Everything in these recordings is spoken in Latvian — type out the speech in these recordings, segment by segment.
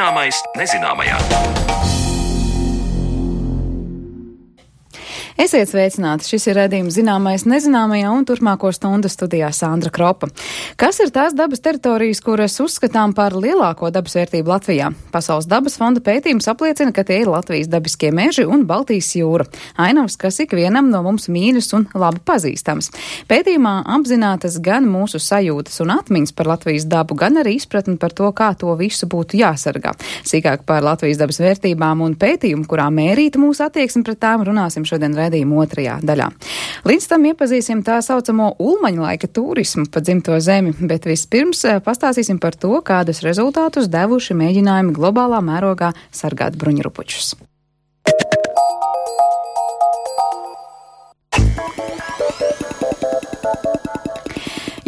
Zināmais nezināmajā. Esiet sveicināti, šis ir raidījums Zināmais nezināmajā un turpmāko stundu studijā Sandra Kropa. Kas ir tās dabas teritorijas, kuras uzskatām par lielāko dabas vērtību Latvijā? Pasaules dabas fonda pētījums apliecina, ka tie ir Latvijas dabiskie meži un Baltijas jūra. Ainavas, kas ikvienam no mums mīļas un labi pazīstams. Pētījumā apzinātas gan mūsu sajūtas un atmiņas par Latvijas dabu, gan arī izpratni par to, kā to visu būtu jāsargā. Sīkāk par Latvijas dabas vērtībām un pētījumu, kurā mērīta mūsu attieksme pret tām, runāsim šodien raidījuma otrajā daļā. Līdz tam iepazīsim tā saucamo ulmaņa laika turismu pa dzimto zemi, bet vispirms pastāstīsim par to, kādus rezultātus devuši mēģinājumi globālā mērogā sargāt bruņurupučus.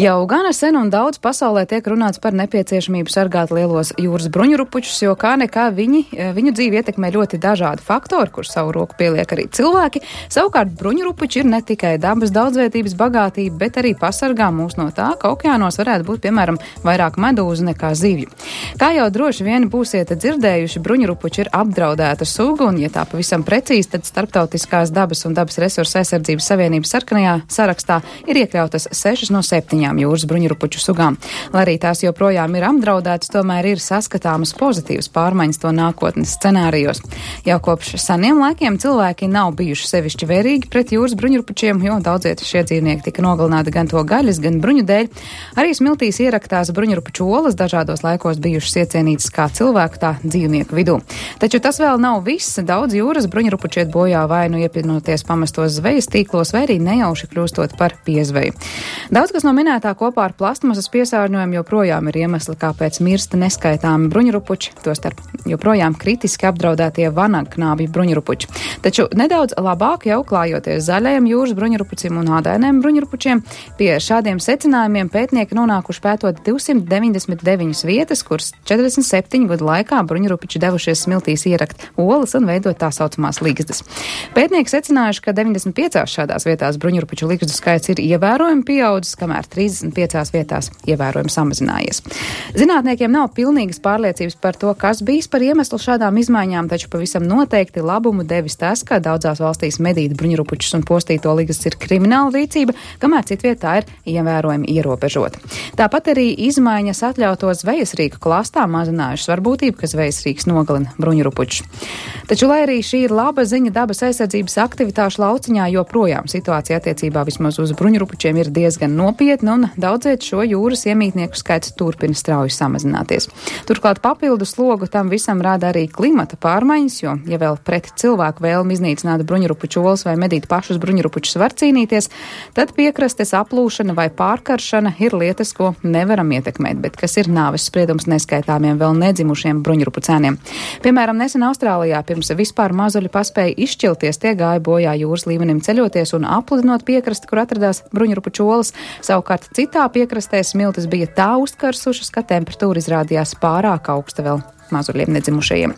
Jau gana sen un daudz pasaulē tiek runāts par nepieciešamību sargāt lielos jūras bruņurupučus, jo kā nekā viņu dzīvi ietekmē ļoti dažādi faktori, kur savu roku pieliek arī cilvēki. Savukārt bruņurupuči ir ne tikai dabas daudzveidības bagātība, bet arī pasargā mūs no tā, ka okeānos varētu būt, piemēram, vairāk medūzu nekā zivju. Kā jau droši vien būsiet dzirdējuši, bruņurupuči ir apdraudēta suga, un, ja tā pavisam precīzi, tad Starptautiskās dabas un dabas resursu aizsardzības savienības sarkanajā sarakstā ir iekļautas 6 no 7 jūras bruņurupuču sugām. Lai arī tās joprojām ir apdraudētas, tomēr ir saskatāmas pozitīvas pārmaiņas to nākotnes scenārijos. Jau kopš seniem laikiem cilvēki nav bijuši sevišķi vērīgi pret jūras bruņurupučiem, jo daudziet šie dzīvnieki tika nogalināti gan to gaļas, gan bruņu dēļ. Arī smiltīs ieraktās bruņurupuču olas dažādos laikos bijušas iecienītas kā cilvēku, tā dzīvnieku vidū. Taču tas vēl nav viss. Daudz jūras bruņurupuči iet bojā vai nu iepinoties pamestos zvejas tīklos, vai arī nejauši kļūstot par piezveju. Daudz kas no minētā kopā ar plastmasas piesārņojumu joprojām ir iemesli, kāpēc mirst neskaitāmi bruņurupuči, tostarp joprojām kritiski apdraudētie vanagnābju bruņurupuči. Taču nedaudz labāk jau klājoties zaļajiem jūras bruņurupucim un ādainiem bruņurupučiem, pie šādiem secinājumiem pētnieki nonākuši pētot 299 vietas, kuras 47 gadu laikā bruņurupuči devušies smiltīs ierakt olas un veidot tā saucamās ligzdas. Pētnieki secinājuši, ka 95 šādās vietās bruņurupuču ligzdu skaits ir ievērojami pieaudzis, kamēr 35 vietās ievērojami samazinājies. Zinātniekiem nav pilnīgas pārliecības par to, kas bijis par iemeslu šādām izmaiņām, taču pavisam noteikti labumu devis tas, ka daudzās valstīs medīt bruņurupučus un postīto ligzdas ir krimināla rīcība, kamēr citvietā ir ievērojami ierobežota. Tāpat arī izmaiņas atļauto zvejas rīku klastā mazinājušas varbūtību, ka zvejas rīks nogalina bruņurupučus. Taču, lai arī šī ir laba ziņa dabas aizsardzības aktivitāšu lauciņā, joprojām situācija attiecībā vismaz uz bruņurupučiem ir diezgan nopietna un daudziet šo jūras iemītnieku skaits turpina strauji samazināties. Turklāt papildu slogu tam visam rada arī klimata pārmaiņas, jo, ja vēl pret cilvēku vēlmi iznīcināt bruņurupuču olas vai medīt pašus bruņurupučus var cīnīties, tad piekrastes aplūšana vai pārkaršana ir lietas, ko nevaram ietekmēt, bet kas ir nāves spriedums neskaitāmiem vēl nedzimušiem bruņurupucēniem. Piemēram, nesen Austrālijā pirms vispār mazuļi paspēja izšķilties, tie gāja bojā jūras līmenim ceļoties un apludinot piekrasti, kur atradās bruņurupuču olas. Savukārt citā piekrastē smiltis bija tā uzkarsušas, ka temperatūra izrādījās pārāk augsta vēl mazuļiem nedzimušajiem.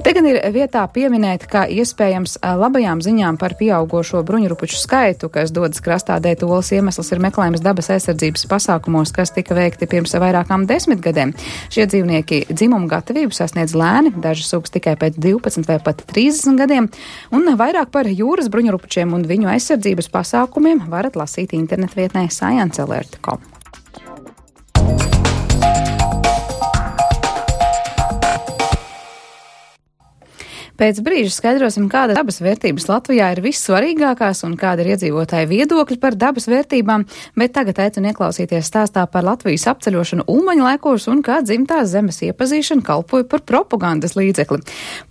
Te gan ir vietā pieminēt, ka iespējams labajām ziņām par pieaugošo bruņurupuču skaitu, kas dodas krastā dēt olas, iemesls ir meklējums dabas aizsardzības pasākumos, kas tika veikti pirms vairākām 10 gadiem. Šie dzīvnieki dzimumu gatavību sasniedz lēni, dažas sugas tikai pēc 12 vai pat 30 gadiem, un vairāk par jūras bruņurupučiem un viņu aizsardzības pasākumiem varat lasīt internetvietnē sciencealert.com. Pēc brīža skaidrosim, kāda dabas vērtības Latvijā ir vissvarīgākās un kāda ir iedzīvotāju viedokļi par dabas vērtībām, bet tagad aicinu ieklausīties stāstā par Latvijas apceļošanu ulmaņa laikos un kā dzimtās zemes iepazīšana kalpoja par propagandas līdzekli.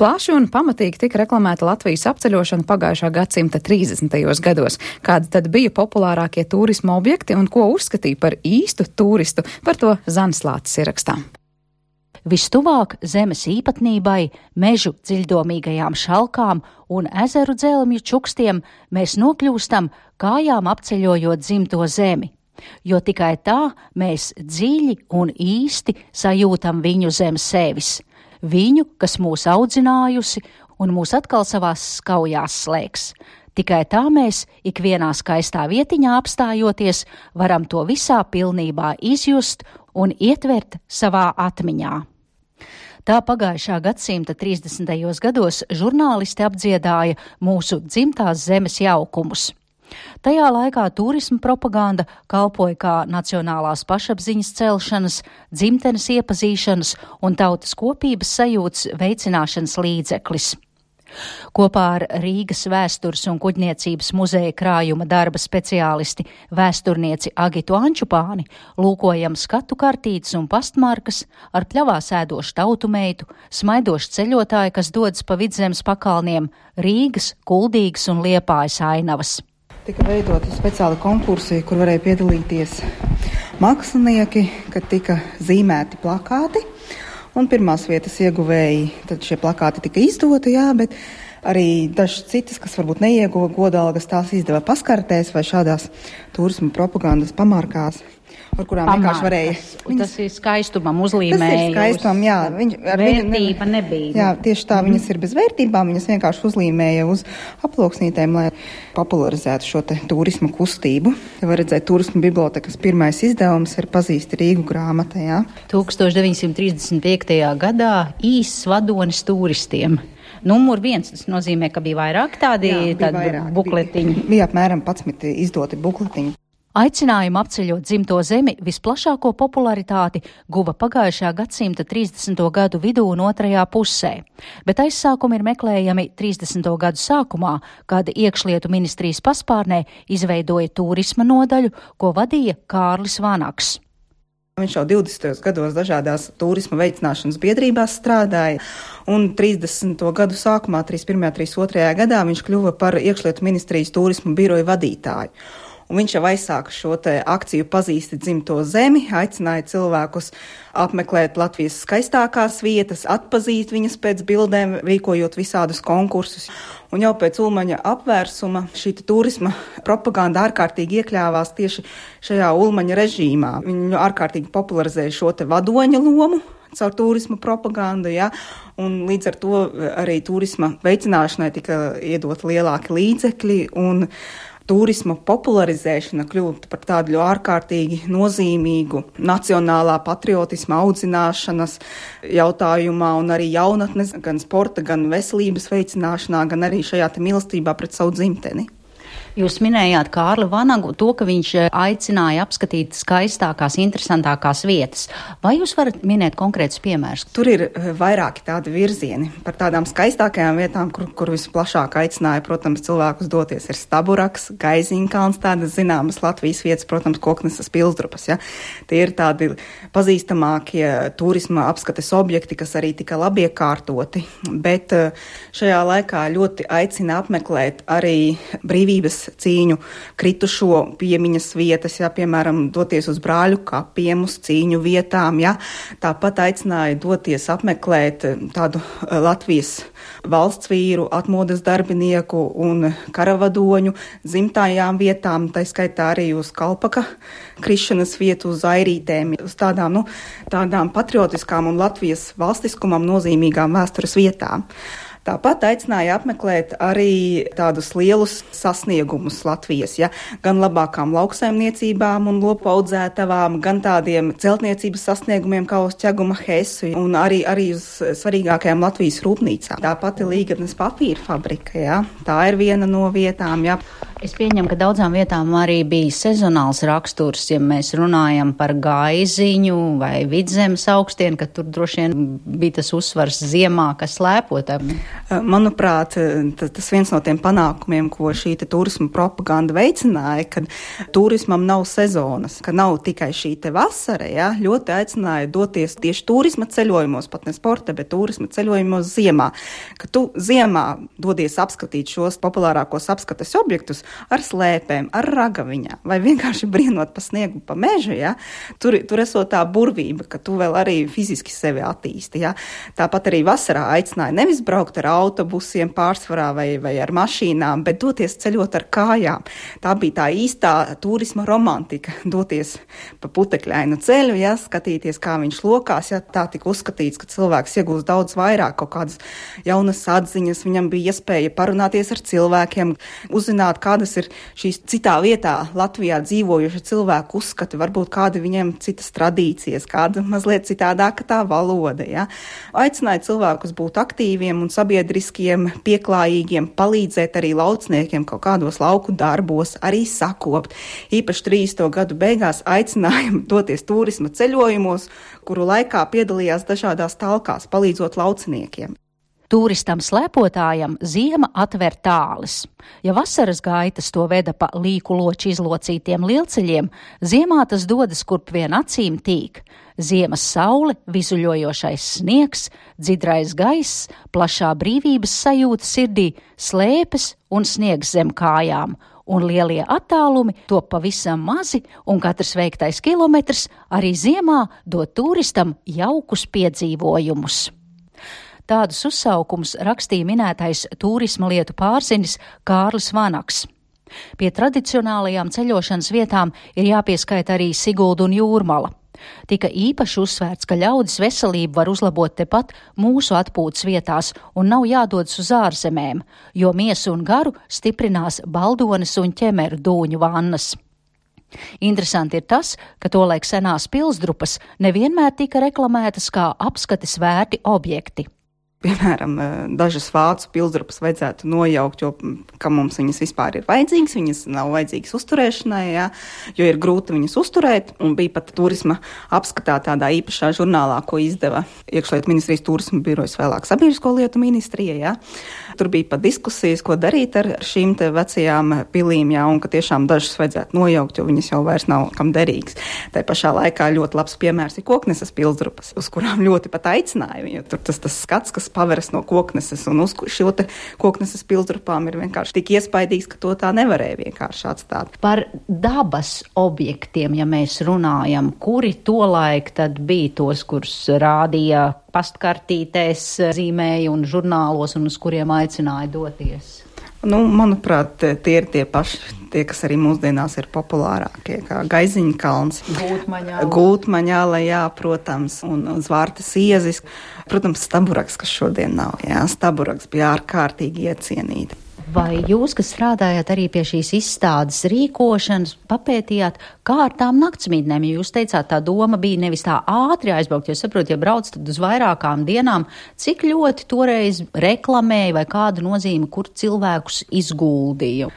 Plaši un pamatīgi tika reklamēta Latvijas apceļošana pagājušā gadsimta 30. gados. Kādi tad bija populārākie turisma objekti un ko uzskatīja par īstu turistu, par to Zanis Lācis ierakstā. Vistuvāk zemes īpatnībai, mežu dziļdomīgajām šalkām un ezeru dzelmju čukstiem mēs nokļūstam kājām apceļojot dzimto zemi, jo tikai tā mēs dziļi un īsti sajūtam viņu zem sevis, viņu, kas mūs audzinājusi un mūs atkal savās skaujās slēgs. Tikai tā mēs, ikvienā skaistā vietiņā apstājoties, varam to visā pilnībā izjust un ietvert savā atmiņā. Tā pagājušā gadsimta 30. gados žurnālisti apdziedāja mūsu dzimtās zemes jaukumus. Tajā laikā turisma propaganda kalpoja kā nacionālās pašapziņas celšanas, dzimtenes iepazīšanas un tautas kopības sajūtas veicināšanas līdzeklis. Kopā ar Rīgas vēstures un kuģniecības muzeja krājuma darba speciālisti vēsturnieci Agitu Ančupāni lūkojam skatu kartītes un pastmarkas ar pļavās ēdošu tautumeitu, smaidošu ceļotāju, kas dodas pa Vidzemes pakalniem, Rīgas, Kuldīgas un Liepājas ainavas. Tika veidoti speciāli konkursi, kur varēja piedalīties mākslinieki, kad tika zīmēti plakāti. Un pirmās vietas ieguvēji, tad šie plakāti tika izdoti, bet arī dažas citas, kas varbūt neieguva godalgas, tās izdeva paskartēs vai šādās turisma propagandas pamarkās, ar kurām vienkārši varēja. Tas ir skaistumam uzlīmēja. Tas ir skaistumam, jā. Vērtība nebija. Jā, tieši tā, viņas ir bez vērtībām, viņas vienkārši uzlīmēja uz aploksnītēm, lai popularizētu šo te turisma kustību. Var redzēt, turisma bibliotekas pirmais izdevums ir Pazīsti Rīgu grāmata, jā. 1935. gadā īsts vadonis turistiem. Numur 1, tas nozīmē, ka bija vairāk tādi bukletiņi. Bija apmēram 11 izdoti bukletiņi. Aicinājumu apceļot dzimto zemi visplašāko popularitāti guva pagājušā gadsimta 30. gadu vidū un otrajā pusē, bet aizsākumi ir meklējami 30. gadu sākumā, kad iekšlietu ministrijas paspārnē izveidoja turisma nodaļu, ko vadīja Kārlis Vanaks. Viņš jau 20. gados dažādās turisma veicināšanas biedrībās strādāja, un 30. gadu sākumā, 31. 32. gadā, viņš kļuva par iekšlietu ministrijas turisma biroju vadītāju. Un viņš jau aizsāka šo te akciju Pazīsti dzimto zemi, aicināja cilvēkus apmeklēt Latvijas skaistākās vietas, atpazīt viņas pēc bildēm, rīkojot visādus konkursus. Un jau pēc Ulmaņa apvērsuma šī turisma propaganda ārkārtīgi iekļāvās tieši šajā Ulmaņa režīmā. Viņu ārkārtīgi popularizēja šo te vadoņa lomu caur turisma propagandu, un līdz ar to arī turisma veicināšanai tika iedot lielāki līdzekļi, un turisma popularizēšana kļūst par tādu ārkārtīgi nozīmīgu nacionālā patriotisma audzināšanas jautājumā un arī jaunatnes, gan sporta, gan veselības veicināšanā, gan arī šajā mīlestībā pret savu dzimteni. Jūs minējāt Kārli Vanagu, to, ka viņš aicināja apskatīt skaistākās, interesantākās vietas. Vai jūs varat minēt konkrētus piemērus? Tur ir vairāki tādi virzieni. Par tādām skaistākajām vietām, kur visplašāk aicināja, protams, cilvēkus doties, ir Staburaks, Gaiziņkalns, tādas zināmas Latvijas vietas, protams, Koknesas Pilsdrupas. Tie ir tādi pazīstamākie turisma apskates objekti, kas arī tika labi iekārtoti, bet šajā laikā ļoti aicina apmeklēt arī brīvības cīņu kritušo piemiņas vietas, piemēram, doties uz Brāļu kapiem, uz cīņu vietām, Tāpat aicināja doties apmeklēt tādu Latvijas valsts vīru, atmodas darbinieku un karavadoņu dzimtajām vietām, tā skaitā arī uz Kalpaka krišanas vietu, uz Airītēm, uz tādām patriotiskām un Latvijas valstiskumam nozīmīgām vēstures vietām. Tāpat aicināja apmeklēt arī tādus lielus sasniegumus Latvijas, gan labākām lauksaimniecībām un lopu audzētavām, gan tādiem celtniecības sasniegumiem kā uz Ķeguma Hesu un arī uz svarīgākajām Latvijas rūpnīcām. Tāpat ir Līgatnes papīra fabrika, tā ir viena no vietām, Es pieņemu, ka daudzām vietām arī bija sezonāls raksturs, ja mēs runājam par Gaiziņu vai Vidzemes augstienu, ka tur droši vien bija tas uzsvars ziemā, kas slēpotam. Manuprāt, tas viens no tiem panākumiem, ko šī turisma propaganda veicināja, kad turismam nav sezonas, ka nav tikai šī vasara, ļoti aicināja doties tieši turisma ceļojumos, pat ne sporta, bet turisma ceļojumos ziemā, ka tu ziemā dodies apskatīt šos populārākos apskates objektus, ar slēpēm, ar ragaviņām, vai vienkārši brienot pa sniegu, pa mežu, tur esot tā burvība, ka tu vēl arī fiziski sevi attīsti, Tāpat arī vasarā aicināja nevis braukt ar autobusiem pārsvarā vai ar mašīnām, bet doties ceļot ar kājām. Tā bija tā īstā turisma romantika, doties pa putekļainu ceļu, skatīties, kā viņš lokās, tā tika uzskatīts, ka cilvēks iegūst daudz vairāk, kaut kādas jaunas atziņas, viņam bija iespēja parunāties ar cilvēkiem, uzzināt, kāda kādas ir šīs citā vietā Latvijā dzīvojuši cilvēku uzskati, varbūt kādi viņiem citas tradīcijas, kāda mazliet citādāka tā valoda. Ja? Aicināja cilvēkus būt aktīviem un sabiedriskiem, pieklājīgiem, palīdzēt arī laucniekiem kaut kādos lauku darbos, arī sakopt. Īpaši 30. gadu beigās aicinājumi doties turisma ceļojumos, kuru laikā piedalījās dažādās talkās, palīdzot lauciniekiem. Turistam slēpotājam ziema atver tāles. Ja vasaras gaitas to veda pa līku loči izlocītiem lielceļiem, ziemā tas dodas kurp vien acīm tīk. Ziemas saule, vizuļojošais sniegs, dzidrais gaiss, plašā brīvības sajūta sirdī, slēpes un sniegs zem kājām, un lielie attālumi top pavisam mazi, un katrs veiktais kilometrs arī ziemā dod turistam jaukus piedzīvojumus. Tādus uzsaukumus rakstīja minētais turisma lietu pārzinis Kārlis Vanaks. Pie tradicionālajām ceļošanas vietām ir jāpieskaita arī Sigulda un Jūrmala. Tika īpaši uzsvērts, ka ļaudis veselību var uzlabot tepat mūsu atpūtas vietās un nav jādodas uz ārzemēm, jo miesu un garu stiprinās Baldones un Ķemeru dūņu vannas. Interesanti ir tas, ka tolaik senās pilsdrupas nevienmēr tika reklamētas kā apskates vērti objekti. Piemēram, dažas vācu pilsdrupas vajadzētu nojaukt, jo kam mums viņas vispār ir vajadzīgas, viņas nav vajadzīgas uzturēšanai, jā, jo ir grūti viņas uzturēt, un bija pat turisma apskatā tādā īpašā žurnālā, ko izdeva Iekšlietu ministrijas turisma birojas, vēlāk Sabiedrisko lietu ministrija, jā. Tur bija pat diskusijas, ko darīt ar šīm te vecajām pilīm, jā, un ka tiešām dažas vajadzētu nojaukt, jo viņas jau vairs nav kam derīgas. Tā pašā laikā ļoti labs piemērs ir Kokneses pilsdrupas, uz kurām ļoti pat aicināja, jo tur tas skats, kas paveras no Kokneses, un uz šo te Kokneses pilsdrupām ir vienkārši tik iespaidīgs, ka to tā nevarēja vienkārši atstāt. Par dabas objektiem, ja mēs runājam, kuri tolaik tad bija tos, kurus rādīja pastkartītēs, zīmēja un žurnālos, un uz kuriem aicināja doties? Manuprāt, tie ir tie paši, tie, kas arī mūsdienās ir populārākie, kā Gaiziņa kalns, Gultmaņāla, jā, protams, un Zvārtes iezis. Protams, Staburaks, kas šodien nav, jā, Staburaks bija ārkārtīgi iecienīta. Vai jūs, kas strādājat arī pie šīs izstādes rīkošanas, papētījāt, kā ar tām naktsmītnēm? Ja jūs teicāt, tā doma bija nevis tā ātri aizbraukt, jo saprotu, ja brauc tad uz vairākām dienām, cik ļoti toreiz reklamēja vai kādu nozīmi, kur cilvēkus izguldīja?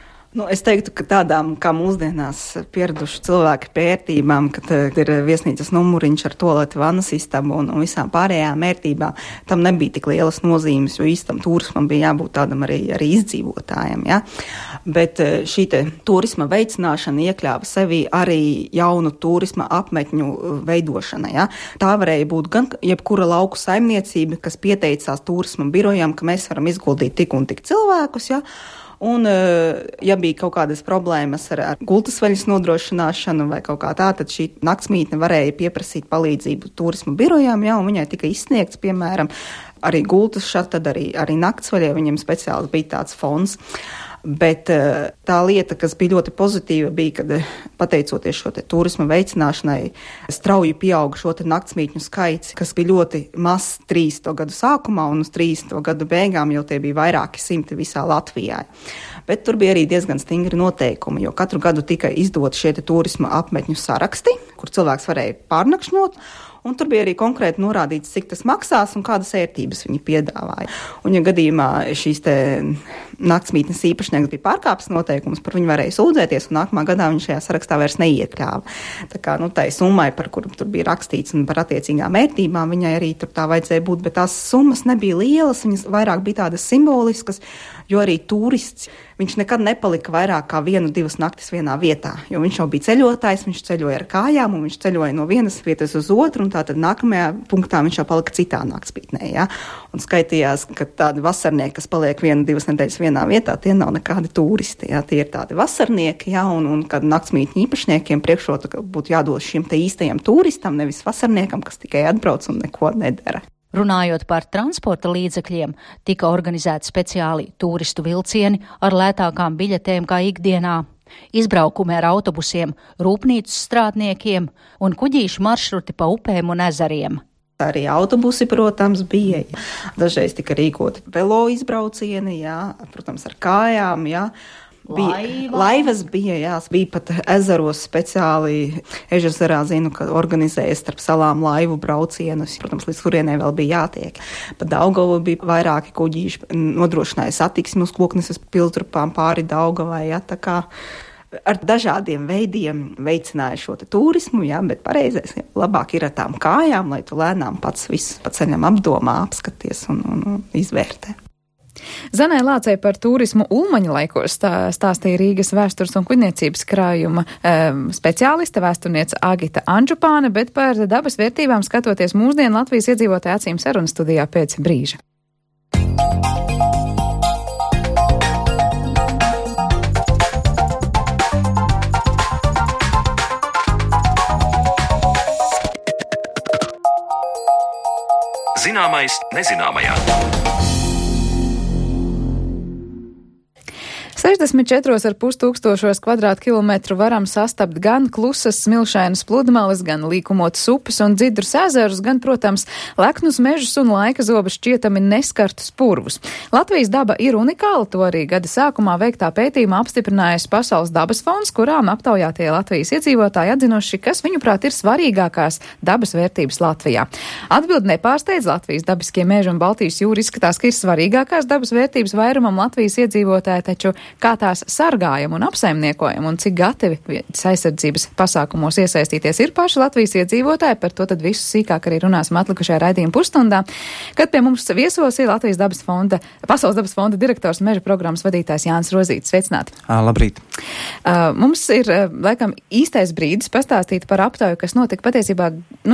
Es teiktu, ka tādām, kā mūsdienās pieraduši cilvēki pērtībām, kad ir viesnīcas numuriņš ar tualeti, vannas istabu un visām pārējām ērtībām, tam nebija tik lielas nozīmes, jo īstam turismam bija jābūt tādam arī izdzīvotājiem. Ja? Bet šī turisma veicināšana iekļāva sevī arī jaunu turisma apmetņu veidošana. Ja? Tā varēja būt gan jebkura lauku saimniecība, kas pieteicās turisma birojam, ka mēs varam izguldīt tik un tik cilvēkus, ja? Un, ja bija kaut kādas problēmas ar gultasveļas nodrošināšanu vai kaut kā tā, tad šī naktsmītne varēja pieprasīt palīdzību turisma birojām, ja, un viņai tika izsniegts, piemēram, arī gultas šat, tad arī naktsveļai viņiem speciāli bija tāds fonds. Bet tā lieta, kas bija ļoti pozitīva, bija, kad pateicoties šo turisma veicināšanai, strauji pieauga šo naktsmītņu skaits, kas bija ļoti mazs 30. gadu sākumā, un uz 30. gadu beigām jau tie bija vairāki simti visā Latvijā. Bet tur bija arī diezgan stingri noteikumi, jo katru gadu tika izdot šie turisma apmetņu saraksti, kur cilvēks varēja pārnakšņot, un tur bija arī konkrēti norādīts, cik tas maksās un kādas ērtības viņi piedāvāja. Un, ja gadījumā šīs naktsmītnes īpašnieks bija pārkāpis noteikumus, par viņu varēja sūdzēties, un nākamā gadā viņš šajā sarakstā vairs neiekļāva. Tā kā, tai summai, par kuru tur bija rakstīts un par attiecīgām ērtībām, viņai arī tur tā vajadzēja būt, bet tās summas nebija lielas, viņas vairāk bija tādas simboliskas, jo arī turists, viņš nekad nepalika vairāk kā 1-2 naktis vienā vietā, jo viņš jau bija ceļotājs, viņš ceļoja ar kājām, un viņš ceļoja no vienas vietas uz otru, un tātad nākamajā punktā viņš jau palika citā naktsmītnē, ja? Un skaitījās, ka tādi vasarnieki, kas paliek 1-2 nedēļas vienā vietā, tie nav nekādi turisti, ja? Tie ir tādi vasarnieki, ja? Un kad naktsmītņu īpašniekiem priekšrota būtu jādod šim te īstajam turistam, nevis vasarniekam, kas tikai atbrauc un neko nedara. Runājot par transporta līdzekļiem, tika organizēti speciāli turistu vilcieni ar lētākām biļetēm kā ikdienā, izbraukumi ar autobusiem, rūpnīcu strādniekiem un kuģīšu maršruti pa upēm un ezeriem. Arī autobusi, protams, bija. Dažreiz tika rīkoti velo izbraucieni, jā, protams, ar kājām, jā. Laivas bija pat ezeros speciāli. Ežerzerā zinu, ka organizēja starp salām laivu braucienus. Protams, līdz kurienē vēl bija jātiek. Pa Daugavu bija vairāki kuģīši, nodrošināja satiksmi uz Kokneses pilsdrupām pāri Daugavai. Tā kā ar dažādiem veidiem veicināja šo turismu, bet pareizais labāk ir ar tām kājām, lai tu lēnām pats visu pa ceļam apdomā, apskaties un izvērtē. Zanai Lācei par turismu Ulmaņa laikos stāstīja Rīgas vēstures un kuģniecības krājuma speciāliste, vēsturniece Agita Anžupāne, bet par dabas vērtībām skatoties mūsdienu Latvijas iedzīvotāju acīm sarunas studijā pēc brīža. Zināmais nezināmajā. 64,5 tūkstošos kvadrātkilometru varam sastapt gan klusas smilšainas pludmales, gan līkumotas upes un dzidrus ezerus, gan, protams, leknus mežus un laika zobus šķietami neskartus purvus. Latvijas daba ir unikāla, to arī gada sākumā veiktā pētījumā apstiprinājusi Pasaules dabas fonds, kurām aptaujātie Latvijas iedzīvotāji atzinuši, kas viņuprāt ir svarīgākās dabas vērtības Latvijā. Atbildi nepārsteidz, Latvijas dabiskie meži un Baltijas jūra izskatās, ka ir svarīgākās dabas vērtības vairumam Latvijas iedzīvotāji, taču kā tās sargājam un apsaimniekojam un cik gatavi vidas aizsardzības pasākumos iesaistīties ir paši Latvijas iedzīvotāji, par to tad visu sīkāk arī runāsim atlikušajā raidījuma pusstundā, kad pie mums viesos ir Latvijas dabas fonda, Pasaules dabas fonda direktors un meža programmas vadītājs Jānis Rozītis. Sveicināti! Labrīt! Mums ir, laikam, īstais brīdis pastāstīt par aptauju, kas notika patiesībā,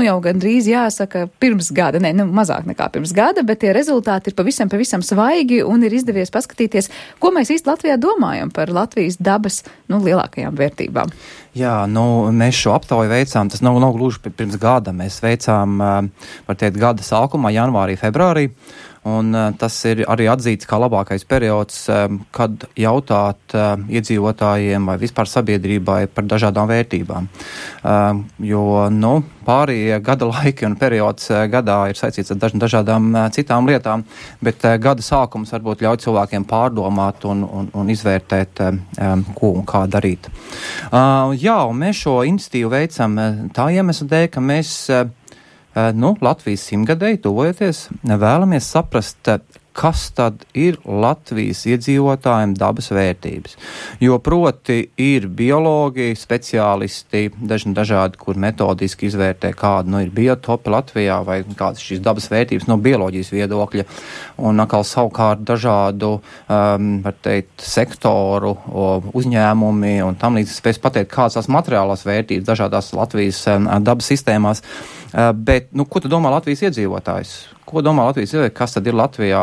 jau gandrīz jāsaka pirms gada, mazāk nekā pirms gada, bet tie rezultāti ir pavisam svaigi un ir izdevies paskatīties, ko mēs īsti Latvijā domājam par Latvijas dabas, lielākajām vērtībām. Jā, mēs šo aptauju veicām, tas nav gluži pirms gada, mēs veicām, var teikt, gada sākumā, janvārī, februārī, un tas ir arī atzīts kā labākais periods, kad jautāt iedzīvotājiem vai vispār sabiedrībai par dažādām vērtībām. Jo, pārējie gada laiki un periods gadā ir saistīts ar dažādām citām lietām, bet gada sākums varbūt ļauj cilvēkiem pārdomāt un izvērtēt, ko un kā darīt. Un mēs šo iniciatīvu veicam tā iemesla dēļ, ka mēs Latvijas 100-gadēji tuvojoties, vēlamies saprast, kas tad ir Latvijas iedzīvotājiem dabas vērtības. Jo proti ir biologi, speciālisti, dažādi, kur metodiski izvērtē, kāda ir biotopi Latvijā vai kādas šīs dabas vērtības no bioloģijas viedokļa. Un atkal savukārt dažādu, var teikt, sektoru, uzņēmumi un tam līdz spēs pateikt, kādas tās materiālās vērtības dažādās Latvijas dabas sistēmās. Bet, ko tad domā Latvijas iedzīvotājs? Ko domā Latvijas iedzīvotājs? Kas tad ir Latvijā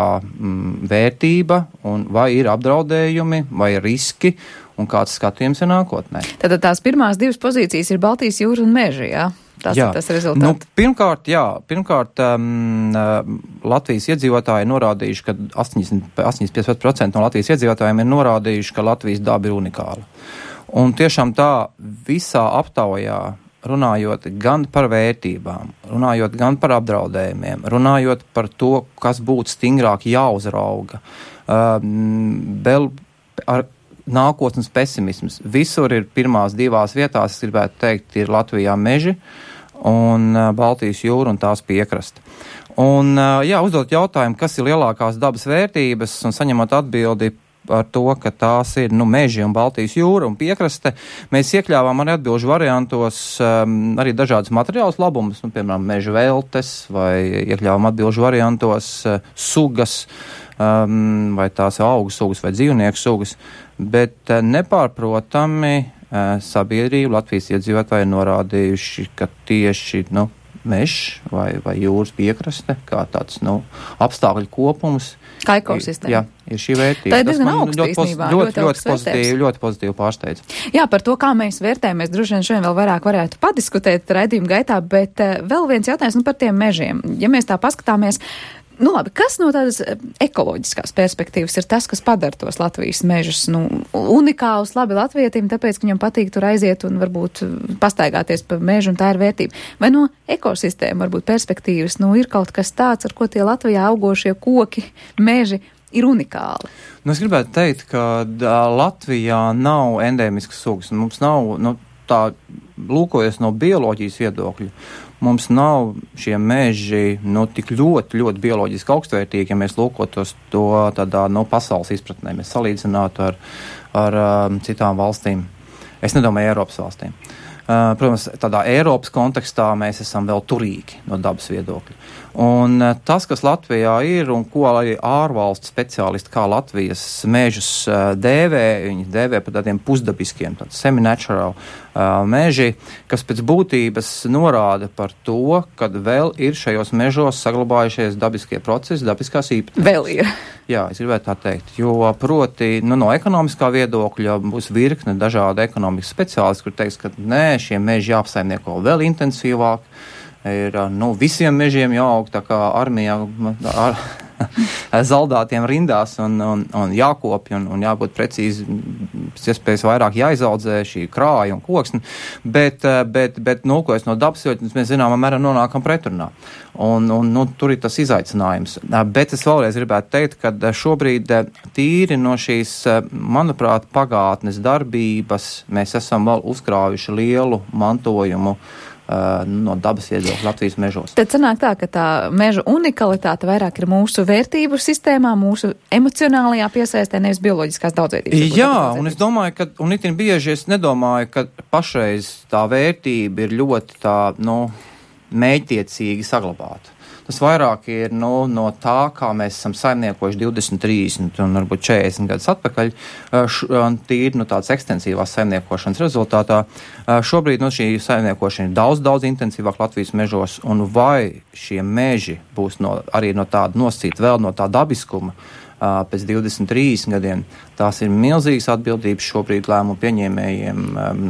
vērtība un vai ir apdraudējumi vai riski un kāds skatījums ir nākotnē? Tad tās pirmās divas pozīcijas ir Baltijas jūra un meži, jā? Tas ir tas rezultāts. Pirmkārt, Latvijas iedzīvotāji norādījuši, ka 85% no Latvijas iedzīvotājiem ir norādījuši, ka Latvijas daba ir unikāla. Un tiešām tā visā aptaujā, runājot gan par vērtībām, runājot gan par apdraudējumiem, runājot par to, kas būtu stingrāk jāuzrauga, vēl ar nākotnes pesimisms. Visur ir pirmās divās vietās, es gribētu teikt, ir Latvijā meži un Baltijas jūra un tās piekrasta. Un, uzdot jautājumu, kas ir lielākās dabas vērtības un saņemot atbildi ar to, ka tās ir meži un Baltijas jūra un piekraste. Mēs iekļāvām arī atbilžu variantos arī dažādas materiālus labumus, piemēram, meža veltes, vai iekļāvām atbilžu variantos sugas, vai tās augu sugas vai dzīvnieku sugas, bet nepārprotami sabiedrība Latvijas iedzīvotāji norādījuši, ka tieši mežs vai jūras piekraste, kā tāds apstākļu kopums, kā ekosistēma. Jā, ir šī vērtība. Tā ir diezgan augsta īstenībā. Ļoti pozitīvi pārsteidz. Jā, par to, kā mēs vērtējam, mēs droši vien šodien vēl vairāk varētu padiskutēt raidījuma gaitā, bet vēl viens jautājums par tiem mežiem. Ja mēs tā paskatāmies, kas no tādas ekoloģiskās perspektīvas ir tas, kas padara tos Latvijas mežus unikālus, labi latvietim, tāpēc, ka viņam patīk tur aiziet un varbūt pastaigāties pa mežu, un tā ir vērtība. Vai no ekosistēma varbūt perspektīvas, ir kaut kas tāds, ar ko tie Latvijā augošie koki, meži ir unikāli? Nu, es gribētu teikt, ka Latvijā nav endēmiskas sugas. Mums nav, tā lūkojas no bioloģijas viedokļa, mums nav šie meži, tik ļoti, ļoti bioloģiski augstvērtīgi, ja mēs lūkotos to tādā, pasaules izpratnē. Mēs salīdzinātu ar citām valstīm. Es nedomāju Eiropas valstīm. Protams, tādā Eiropas kontekstā mēs esam vēl turīgi no dabas viedokļa. Un tas, kas Latvijā ir un ko arī ārvalstu speciālisti kā Latvijas mežus dēvē, viņi dēvē par tādiem pusdabiskiem, semi-natural meži, kas pēc būtības norāda par to, ka vēl ir šajos mežos saglabājušies dabiskie procesi, dabiskās īpatnības. Vēl ir. Jā, es gribētu tā teikt, jo proti, no ekonomiskā viedokļa būs virkne dažādi ekonomikas speciālisti, kur teiks, ka nē, šie meži jāapsaimnieko vēl intensīvāk, ir, visiem mežiem jāaug tā kā armijā zaldātiem rindās un jākopja un jābūt precīzi, pēc iespējas vairāk jāizaudzē šī krāja un koksni, bet nolkojas no dabas, jo mēs zināmā mērā nonākam pretrunā. Un tur ir tas izaicinājums. Bet es vēlreiz gribētu teikt, ka šobrīd tīri no šīs, manuprāt, pagātnes darbības mēs esam vēl uzkrājuši lielu mantojumu no dabas viedokļa Latvijas mežos. Tad sanāk tā, ka tā meža unikalitāte vairāk ir mūsu vērtību sistēmā, mūsu emocionālajā piesaistē, nevis bioloģiskās daudzveidības. Jā, un es domāju, un itin bieži es nedomāju, ka pašreiz tā vērtība ir ļoti tā, mēģtiecīgi saglabāta. Tas vairāk ir no tā, kā mēs esam saimniekojuši 20, 30 un varbūt 40 gadus atpakaļ, tīri tāds ekstensīvās saimniekošanas rezultātā. Šobrīd šī saimniekošana ir daudz intensīvāk Latvijas mežos, un vai šie meži būs arī no tāda nosacīta vēl no tā dabiskuma pēc 20, 30 gadiem, tās ir milzīgas atbildības šobrīd lēmumu pieņēmējiem,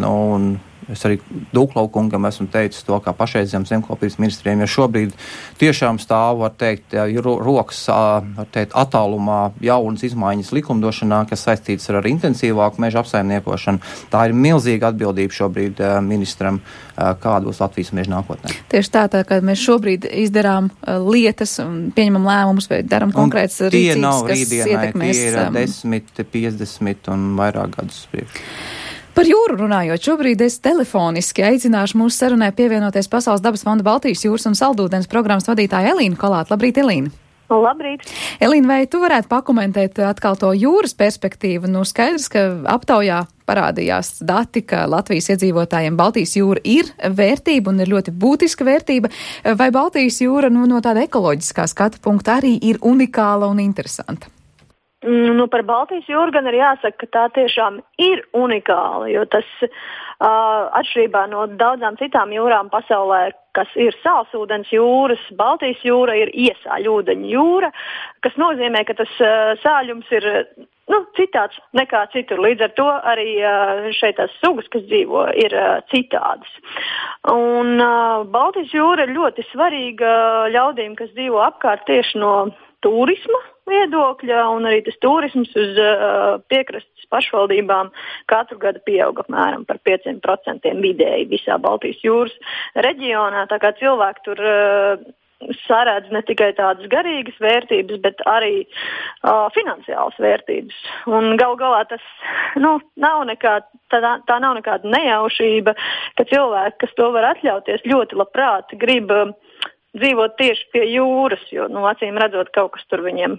un es arī Dūklaukungam esmu teicis to, kā pašreizējiem zemkopības ministriem, jo šobrīd tiešām stāv, var teikt, rokas, var teikt, attālumā jaunas izmaiņas likumdošanā, kas saistītas ar intensīvāku meža apsaimniekošanu. Tā ir milzīga atbildība šobrīd ministram, kāda būs Latvijas meža nākotnē. Tieši tā, kā mēs šobrīd izdarām lietas un pieņemam lēmumus, vai daram konkrētas rīcības, kas ietekmēs. Tie ir 10, 50 un vairāk gadus priekš. Par jūru runājot, šobrīd es telefoniski aicināšu mūsu sarunai pievienoties Pasaules dabas fonda Baltijas jūras un saldūdens programmas vadītāju Elīnu Kolātu. Labrīt, Elīna! Labrīt! Elīna, vai tu varētu pakomentēt atkal to jūras perspektīvu? Skaidrs, ka aptaujā parādījās dati, ka Latvijas iedzīvotājiem Baltijas jūra ir vērtība un ir ļoti būtiska vērtība. Vai Baltijas jūra no tāda ekoloģiskā skatu punkta arī ir unikāla un interesanta? Par Baltijas jūru gan ir jāsaka, ka tā tiešām ir unikāla, jo tas atšķirībā no daudzām citām jūrām pasaulē, kas ir sālsūdens jūras, Baltijas jūra ir iesāļūdeņa jūra, kas nozīmē, ka tas sāļums ir citāds nekā citur. Līdz ar to arī šeit tās sugas, kas dzīvo, ir citādas. Un Baltijas jūra ir ļoti svarīga ļaudīm, kas dzīvo apkārt tieši no turisma viedokļa, un arī tas turisms uz piekrastes pašvaldībām katru gadu pieauga apmēram par 5% vidēji visā Baltijas jūras reģionā, tā kā cilvēki tur sarēdz ne tikai tādas garīgas vērtības, bet arī finansiālas vērtības. Un gal galā tas nav tā nav nekāda nejaušība, ka cilvēki, kas to var atļauties, ļoti labprāt grib dzīvot tieši pie jūras, jo, acīm redzot, kaut kas tur viņiem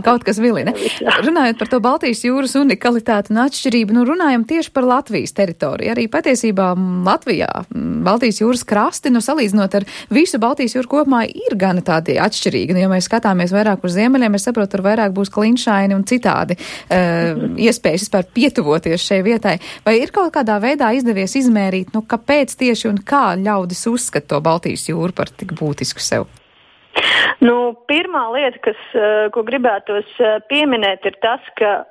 kaut kas vilina. Runājot par to Baltijas jūras unikalitāti un atšķirību, runājam tieši par Latvijas teritoriju. Arī patiesībā Latvijā Baltijas jūras krasti, salīdzinot ar visu Baltijas jūru kopumā, ir gana tādi atšķirīgi. Ja mēs skatāmies vairāk uz ziemeļiem, es saprotu, tur vairāk būs klinšaini un citādi iespējas vispār pietuvoties šai vietai. Vai ir kaut kādā veidā izdevies izmērīt, kāpēc tieši un kā ļaudis uzskata to Baltijas jūru par tik būtisku sev? Pirmā lieta, ko gribētos pieminēt, ir tas, ka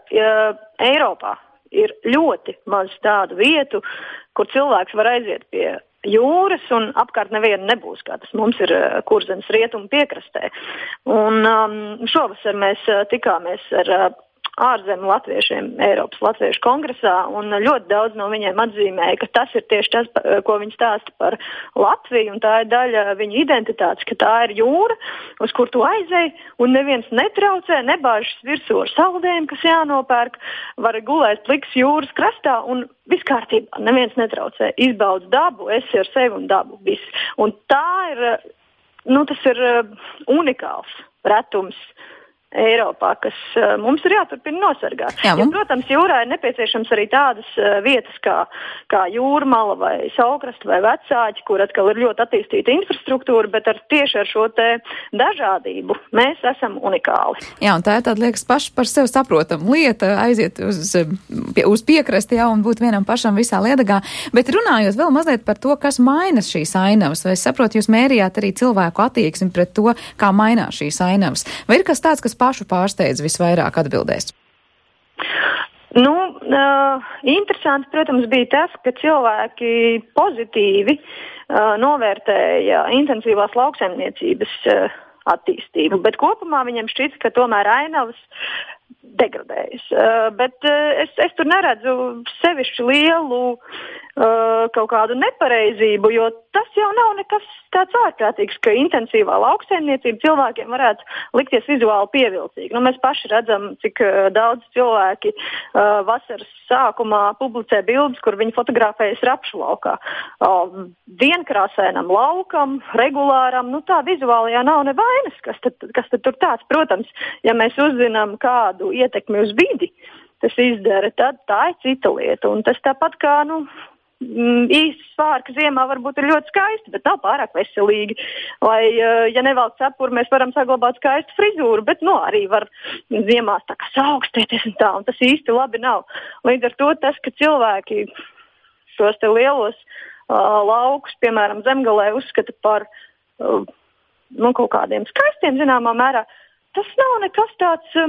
Eiropā ir ļoti maz tādu vietu, kur cilvēks var aiziet pie jūras un apkārt neviena nebūs, kā tas mums ir Kurzemes rietumu piekrastē. Un šovasar mēs tikāmies ar ārzemju latviešiem Eiropas Latviešu kongresā, un ļoti daudz no viņiem atzīmēja, ka tas ir tieši tas, ko viņi stāsta par Latviju, un tā ir daļa viņa identitātes, ka tā ir jūra, uz kur tu aizej, un neviens netraucē, nebāžas virsū ar saldēm, kas jānopērk, var gulēt pliks jūras krastā, un viss kārtībā, neviens netraucē, izbaudz dabu, esi ar sevi un dabu, viss. Un tā ir, tas ir unikāls retums Eiropā, kas mums ir jāturpina nosargāt. Jā, protams, jūrā ir nepieciešams arī tādas vietas kā jūrmala vai Saulkrasta vai Vecāķi, kur atkal ir ļoti attīstīta infrastruktūra, bet tieši ar šo te dažādību mēs esam unikāli. Jā, un tā ir tāda, liekas, paši par sevi saprotam lieta, aiziet uz piekrasti, jā, un būt vienam pašam visā Liedagā. Bet runājot vēl mazliet par to, kas mainas šīs ainavas, vai es saprotu, jūs mērījāt arī cilvēku attieksmi pret to, kā mainās šīs ainavas. Vai ir kas tāds, kas pašu pārsteidz visvairāk atbildēs? Interesanti, protams, bija tas, ka cilvēki pozitīvi novērtēja intensīvās lauksaimniecības attīstību, bet kopumā viņiem šķita, ka tomēr ainavas degradējas. Bet es tur neredzu sevišķi lielu kaut kādu nepareizību, jo tas jau nav nekas tāds ārprātīgs, ka intensīvā lauksaimniecība cilvēkiem varētu likties vizuāli pievilcīgi. Mēs paši redzam, cik daudz cilvēki vasaras sākumā publicē bildes, kur viņi fotografējas rapšu laukā. Vienkrāsēnam laukam, regulāram, tā vizuālajā nav nevainas, kas tad tur tāds. Protams, ja mēs uzzinām kādu ietekmi uz vidi, tas izdara, tad tā ir cita lieta. Un tas tāpat kā, īsts svārka ziemā varbūt ir ļoti skaisti, bet nav pārāk veselīgi. Vai, ja nevelk cepuri, mēs varam saglabāt skaistu frizūru, bet, arī var ziemās tā kā saaugstēties un tā, un tas īsti labi nav. Līdz ar to tas, ka cilvēki šos te lielos laukus, piemēram, Zemgalē uzskata par kaut kādiem skaistiem zināmā mērā, tas nav nekas tāds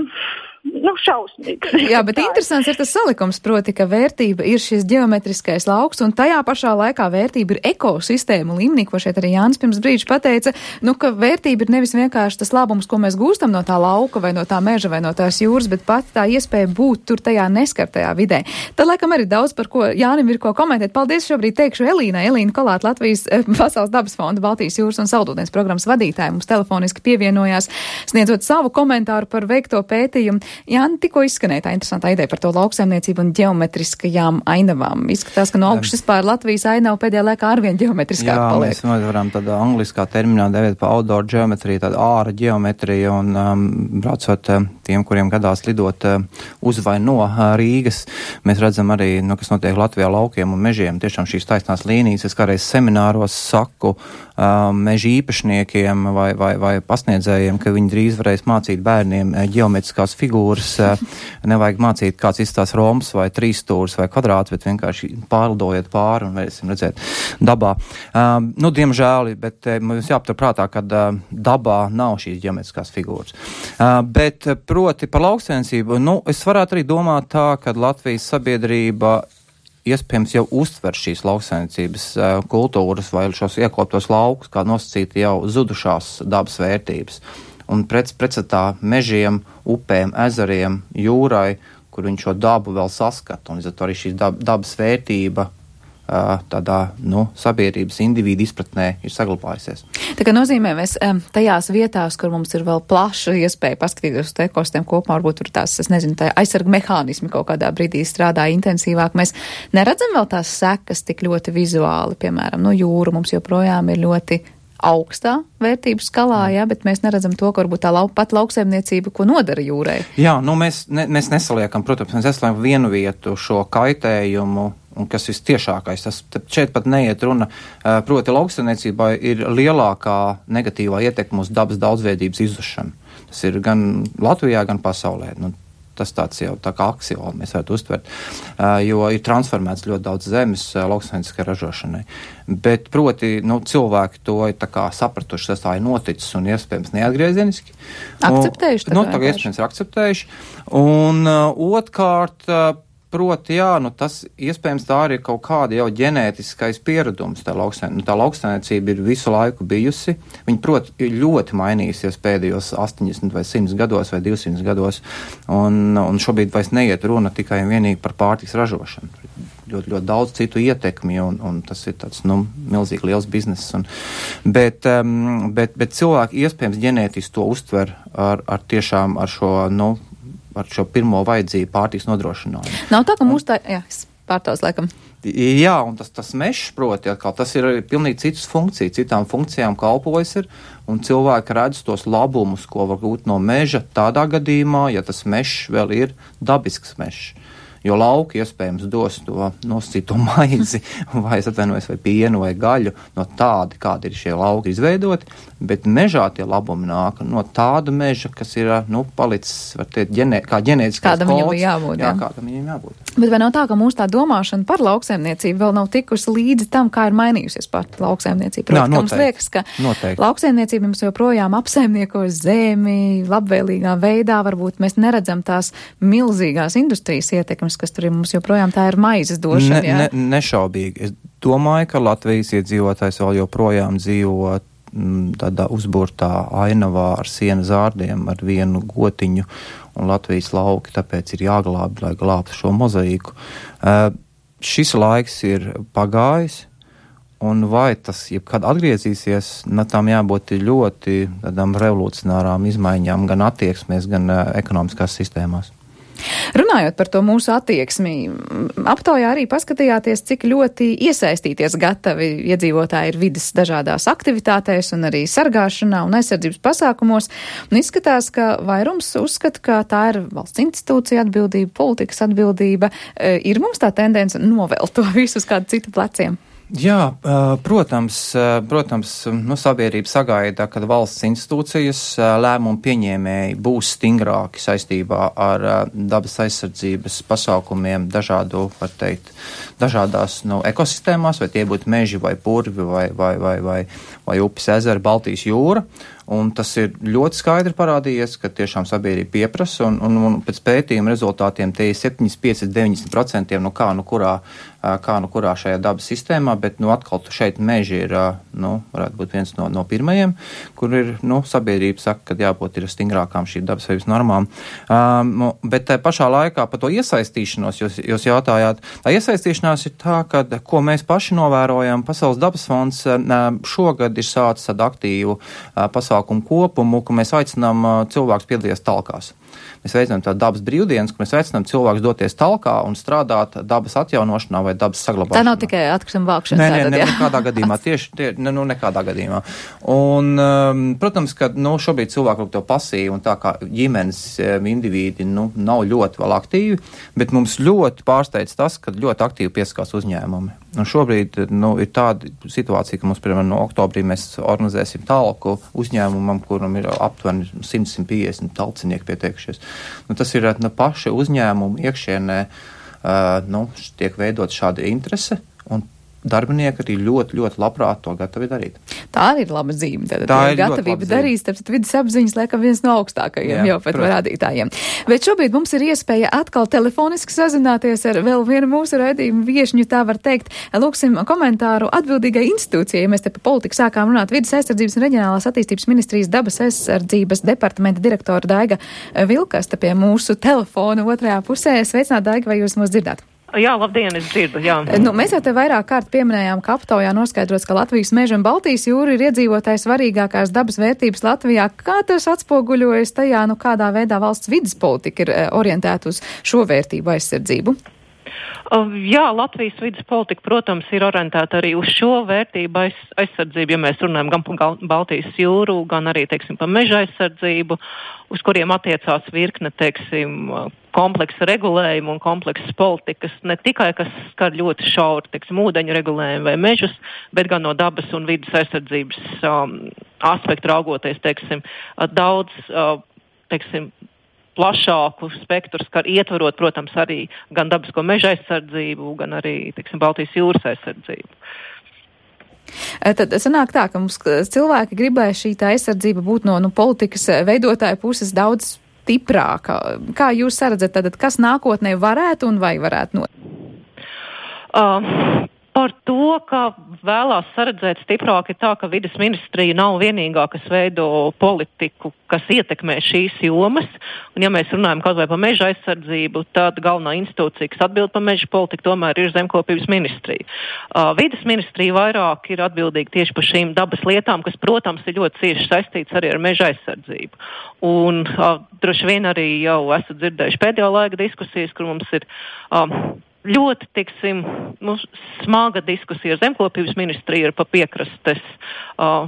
šausmīgs. Jā, bet interesants ir tas salikums, proti, ka vērtība ir šis ģeometriskais lauks, un tajā pašā laikā vērtība ir ekosistēma līmenī, ko šeit arī Jānis pirms brīža pateica, ka vērtība ir nevis vienkārši tas labums, ko mēs gūstam no tā lauka vai no tā meža vai no tās jūras, bet pat tā iespēja būt tur tajā neskartajā vidē. Tad, laikam, arī daudz, par ko Jānim ir ko komentēt. Paldies šobrīd teikšu Elīnai. Elīna Kolāte, Latvijas Pasaules dabas fonda Baltijas jūras un saldūdens programmas vadītāja, mums telefoniski pievienojās, sniedzot savu komentāru par veikto pētījumu. Jāni, tikko izskanēja tā interesantā ideja par to lauksaimniecību un ģeometriskajām ainavām. Izskatās, ka no augšas pār Latvijas ainava pēdējā laikā arvien ģeometriskāk paliek. Jā, mēs varam tādā angliskā terminā devēt pa outdoor geometriju, tāda āra ģeometrija, un braucot tiem, kuriem gadās lidot uz vai no Rīgas, mēs redzam arī, kas notiek Latvijā laukiem un mežiem, tiešām šīs taisnās līnijas. Es kādreiz semināros saku meža īpašniekiem vai pasniedzējiem, ka viņi drīz varēs mācīt bērniem ģeometriskās figūras, nevajag mācīt, kāds izstās rombs vai trīsstūris vai kvadrāts, bet vienkārši pārlidojiet pāri un varēsim redzēt dabā. Diemžēl, bet mums jāaptur prātā, ka dabā nav šīs ģeometriskās figūras. Bet proti par lauksaimniecību, es varētu arī domāt tā, ka Latvijas sabiedrība iespējams jau uztver šīs lauksaimniecības kultūras vai šos iekoptos laukus, kā nosacīti jau zudušās dabas vērtības. Un pretstatā mežiem, upēm, ezeriem, jūrai, kur viņi šo dabu vēl saskata. Un līdz ar to arī šī dabas vērtība tādā, sabiedrības individu izpratnē ir saglabājusies. Tā kā nozīmē, mēs tajās vietās, kur mums ir vēl plaša iespēja paskatīties uz ekosistēmu kopumā, varbūt tur tās, tā aizsarga mehānismi kaut kādā brīdī strādā intensīvāk. Mēs neredzam vēl tās sekas tik ļoti vizuāli, piemēram, jūra mums joprojām ir ļoti augstā vērtības skalā, bet mēs neredzam to, ka varbūt tā pat lauksaimniecība, ko nodara jūrai. Jā, mēs nesaliekam, protams, mēs nesaliekam vienu vietu šo kaitējumu, un kas vistiešākais, šeit pat neiet runa, proti lauksaimniecībā ir lielākā negatīvā ietekme uz dabas daudzveidības izzušanu. Tas ir gan Latvijā, gan pasaulē. Tas tāds jau tā kā aksioma mēs varētu uztvert, jo ir transformēts ļoti daudz zemes lauksaimnieciskai ražošanai. Bet, proti, cilvēki to ir tā kā sapratuši, tas tā ir noticis un iespējams neatgriezieniski. Akceptējuši? Tagad iespējams ir akceptējuši. Un otrkārt, proti, jā, tas iespējams tā arī ir kaut kāda jau ģenētiskais pieredums. Tā lauksaimniecība ir visu laiku bijusi. Viņa, proti, ir ļoti mainījusies pēdējos 80 vai 100 gados vai 200 gados. Un šobrīd vairs neiet runa tikai un vienīgi par pārtiks ražošanu. Ļoti, ļoti daudz citu ietekmi, un tas ir tāds, milzīgi liels bizness. Bet cilvēki iespējams ģenētiski to uztver tiešām ar šo pirmo vajadzību pārtiks nodrošinājumu. Nav tā, ka mūs tā, jā, es pārtauc laikam. Jā, un tas mešs, proti, atkal, tas ir pilnīgi citas funkcijas, citām funkcijām kalpojas ir, un cilvēki redz tos labumus, ko var gūt no meža tādā gadījumā, ja tas mešs vēl ir dabisks mešs. Jo lauki iespējams dos to nosacīto maizi, vai pienu vai gaļu no tādi, kādi ir šie lauki izveidoti, bet mežā tie labumi nāk no tāda meža, kas ir, palicis, var teikt, kā ģenētiskais kods. Kādam viņam jābūt, jā. Kādam viņam jābūt. Bet vai nav tā, ka mūsu tā domāšana par lauksaimniecību vēl nav tikusi līdzi tam, kā ir mainījusies pat lauksaimniecība? Proti, mums liekas, ka lauksaimniecība mums joprojām apsaimnieko zemi labvēlīgā veidā, varbūt mēs neredzam tās milzīgās industrijas ietekmes, kas tur ir mums joprojām tā ir maizes došana. Nešaubīgi. Es domāju, ka Latvijas iedzīvotājs vēl joprojām dzīvo tādā uzburtā ainavā ar siena zārdiem, ar vienu gotiņu, un Latvijas lauki tāpēc ir jāglāb, lai glābtu šo mozaīku. Šis laiks ir pagājis, un vai tas jebkad atgriezīsies, tam jābūt ļoti tādām revolucionārām izmaiņām gan attieksmēs, gan ekonomiskās sistēmās. Runājot par to mūsu attieksmi, aptaujā arī paskatījāties, cik ļoti iesaistīties gatavi iedzīvotāji ir vides dažādās aktivitātēs un arī sargāšanā un aizsardzības pasākumos. Un izskatās, ka vairums uzskata, ka tā ir valsts institūcija atbildība, politikas atbildība. Ir mums tā tendence novēlt to visu uz kādu citu pleciem? Jā, protams, sabiedrība sagaida, ka valsts institūcijas lēmumu pieņēmēji būs stingrāki saistībā ar dabas aizsardzības pasākumiem dažādās ekosistēmās, vai tie būtu meži vai purvi vai upes ezeri, Baltijas jūra. Un tas ir ļoti skaidri parādījies, ka tiešām sabiedrība pieprasa, un pēc pētījuma rezultātiem te ir 75–90% kā nu kurā šajā dabas sistēmā, bet atkal šeit meži ir, varētu būt viens no pirmajiem, kur ir, sabiedrība saka, ka jābūt ir stingrākām šīm dabas veības normām. Bet pašā laikā par to iesaistīšanos jūs jautājāt. Tā iesaistīšanās ir tā, ka, ko mēs paši novērojam, Pasaules dabas fonds šogad ir sācis tādu aktīvu pasākumu kopumu, ka mēs aicinām cilvēkus piedalīties talkās. Mēs veicam tādu dabas brīvdienas, ka mēs aicinām cilvēkus doties talkā un strādāt dabas atjaunošanā vai dabas saglabāšanā. Tā nav tikai atkrituma vākšana. Nē, nekādā gadījumā. Nekādā gadījumā. Un, protams, ka šobrīd cilvēki to pasīvi un tā kā ģimenes indivīdi nav ļoti vēl aktīvi, bet mums ļoti pārsteidz tas, ka ļoti aktīvi pieskās uzņēmumi. Un šobrīd ir tāda situācija, ka mums, piemēram, no oktobrī mēs organizēsim talku uzņēmumam, kuram ir aptuveni 100–150 talcinieki pieteikušies. Tas ir paša uzņēmuma iekšienē, tiek veidot šāda interese, un darbinieki arī ļoti, ļoti labprāt to gatavi darīt. Tā arī ir laba zīme. Tā ir gatavība darīt, tāpēc vidas apziņas laikam viens no augstākajiem jau pat rādītājiem. Bet šobrīd mums ir iespēja atkal telefoniski sazināties ar vēl vienu mūsu raidījumu viešņu, tā var teikt. Lūksim komentāru atbildīgai institūcijai, ja mēs te par politiku sākām runāt. Vidas aizsardzības un reģionālās attīstības ministrijas dabas aizsardzības departamenta direktora Daiga Vilkasta pie mūsu telefona otrajā pusē. Sveicināt, Daiga, vai jūs mūs dzirdāt? Jā, labdien, es dzirdu, jā. Mēs jau te vairāk kārt pieminējām, ka aptaujā noskaidrots, ka Latvijas meža un Baltijas jūra ir iedzīvotāji svarīgākās dabas vērtības Latvijā. Kā tas atspoguļojas tajā, kādā veidā valsts vides politika ir orientēta uz šo vērtību aizsardzību? Jā, Latvijas vides politika, protams, ir orientēta arī uz šo vērtību aizsardzību, ja mēs runājam gan par Baltijas jūru, gan arī, par meža aizsardzību, uz kuriem attiecās virkne, kompleksa regulējumu un kompleksas politikas, ne tikai, kas skar ļoti šauri, ūdeņu regulējumu vai mežus, bet gan no dabas un vides aizsardzības aspektu raugoties, daudz, plašāku spektru, ietvarot, protams, arī gan dabisko meža aizsardzību, gan arī, Baltijas jūras aizsardzību. Tad sanāk tā, ka mums cilvēki gribēja šī tā aizsardzība būt no politikas veidotāja puses daudz stiprāka. Kā jūs saredzat, tad, kas nākotnē varētu un vai varētu notikt? Par to, ka vēlās saredzēt stiprāk, ir tā, ka vides ministrija nav vienīgā, kas veido politiku, kas ietekmē šīs jomas. Un ja mēs runājam kaut vai par meža aizsardzību, tad galvenā institūcija, kas atbild par meža politiku, tomēr ir zemkopības ministrija. Vides ministrija vairāk ir atbildīga tieši par šīm dabas lietām, kas, protams, ir ļoti cieši saistīts arī ar meža aizsardzību. Un droši vien arī jau esat dzirdējuši pēdējā laika diskusijas, kur mums ir ļoti, tiksim, smaga diskusija ar zemkopības ministriju par piekrastes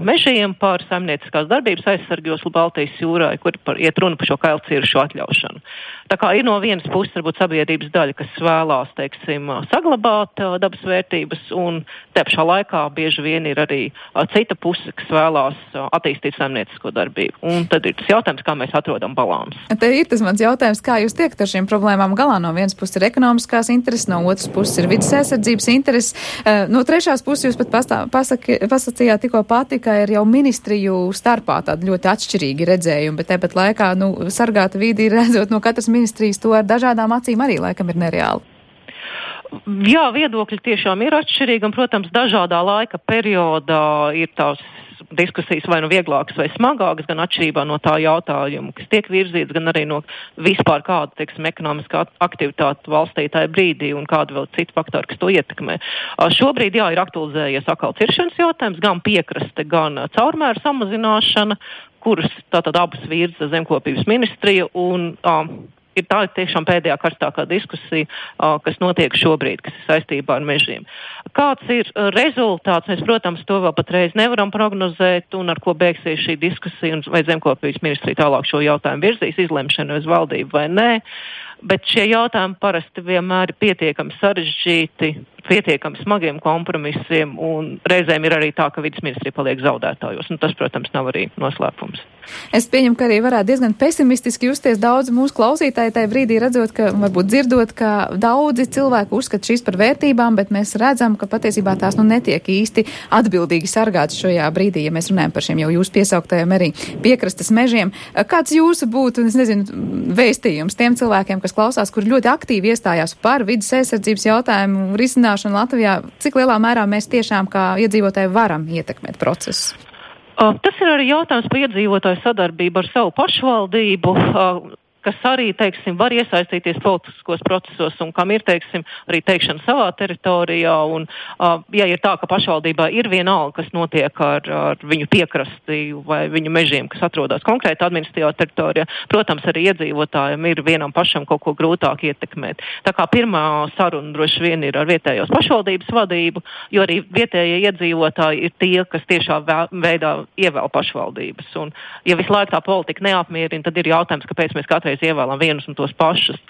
mežiem, par saimnieciskās darbības aizsargos Baltijas jūrā, kur iet runa par šo kailciršu atļaušanu. Tā kā ir no vienas puses varbūt sabiedrības daļa, kas vēlās, teiksim, saglabāt dabas vērtības, un te pašā laikā bieži vien ir arī cita puse, kas vēlās attīstīt saimniecisko darbību. Un tad ir tas jautājums, kā mēs atrodam balansu. Te ir tas mans jautājums, kā jūs tiekat ar šīm problēmām galā. No vienas puses ir ekonomiskās intereses, no otras puses ir vidas aizsardzības intereses. No trešās puses jūs pat pasacījāt tikko pati, ka ir jau ministriju starpā tādi ļoti atšķirīgi redzējumi, bet tāpat laikā, sargāta vidi redzot no katras ministrijas to ar dažādām acīm arī laikam ir nereāli. Jā, viedokļi tiešām ir atšķirīgi, un, protams, dažādā laika periodā ir tās diskusijas vai vieglākas vai smagākas, gan atšķirībā no tā jautājuma, kas tiek virzīts, gan arī no vispār kāda, teiksim, ekonomiskā aktivitāte valstī tajā brīdī un kāda vēl cita faktori, kas to ietekmē. Šobrīd, jā, ir aktualizējies atkal ciršanas jautājums, gan piekraste, gan caurmēru samazināšana, kuras tātad abas virza zemkopības ministrija, un ir tā tiešām pēdējā karstākā diskusija, kas notiek šobrīd, kas ir saistībā ar mežiem. Kāds ir rezultāts? Mēs, protams, to vēl patreiz nevaram prognozēt, un ar ko beigsies šī diskusija, un vai zemkopības ministrija tālāk šo jautājumu virzīs, izlemšanu uz valdību vai nē. Bet šie jautājumi parasti vienmēr ir pietiekami sarežģīti, pietiekami smagiem kompromisiem, un reizēm ir arī tā, ka vides ministrija paliek zaudētājos, un tas, protams, nav arī noslēpums. Es pieņemu, ka arī varētu diezgan pesimistiski justies daudz mūsu klausītāji tajā brīdī, redzot, ka, varbūt dzirdot, ka daudzi cilvēki uzskata šīs par vērtībām, bet mēs redzam, ka patiesībā tās netiek īsti atbildīgi sargātas šajā brīdī, ja mēs runājam par šiem jau jūs piesauktajiem arī piekrastes mežiem. Kāds jūsu būtu, es nezinu, vēstījums tiem cilvēkiem, kas klausās, kur ļoti aktīvi iestājās par vidas aizsardzības jautājumu risināšanu Latvijā, cik lielā mērā mēs tiešām kā iedzīvotāji varam ietekmēt procesu? Tas ir arī jautājums par iedzīvotāju sadarbību ar savu pašvaldību, kas arī, teiksim, var iesaistīties politiskos procesos un kam ir, teiksim, arī teikšana savā teritorijā. Un, ja ir tā, ka pašvaldībā ir vienalga, kas notiek ar viņu piekrasti vai viņu mežiem, kas atrodas konkrēti administratīvā teritorijā, protams, arī iedzīvotājiem ir vienam pašam kaut ko grūtāk ietekmēt. Tā kā pirmā saruna droši vien ir ar vietējos pašvaldības vadību, jo arī vietējie iedzīvotāji ir tie, kas tiešā veidā ievēl pašvaldības. Un, ja visu laiku tā politika neapmierina, tad ir jautājums, kāpēc mēs katreiz ievēlam vienus un tos pašus.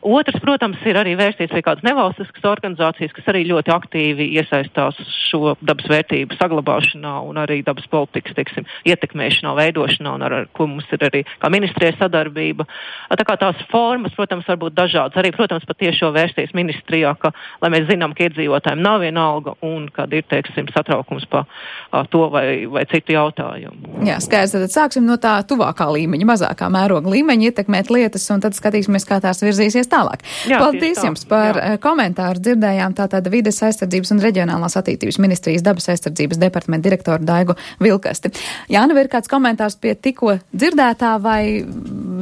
Otrs, protams, ir arī vērsties pie kādas nevalstiskas organizācijas, kas arī ļoti aktīvi iesaistās šo dabas vērtību saglabāšanā un arī dabas politikas, teiksim, ietekmēšanā, veidošanā, un ar ko mums ir arī kā ministrija sadarbība. Tā kā tās formas, protams, var būt dažādas. Arī, protams, pat tiešo vērsties ministrijā, lai mēs zinām, ka iedzīvotājiem nav vienalga un kad ir, teiksim, satraukums pa to vai citu jautājumu. Jā, skaidrs, tad sāksim no tā tuvākā līmeņa, mazākā mēroga līmeņa, ietekmēt lietas, un tad skatīsimies, kā tās virzīsies tālāk. Jā, paldies jums par komentāru. Dzirdējām tātad vides aizsardzības un reģionālās attīstības ministrijas dabas aizsardzības departamenta direktoru Daigu Vilkasti. Jāna, vai ir kāds komentārs pie tikko dzirdētā, vai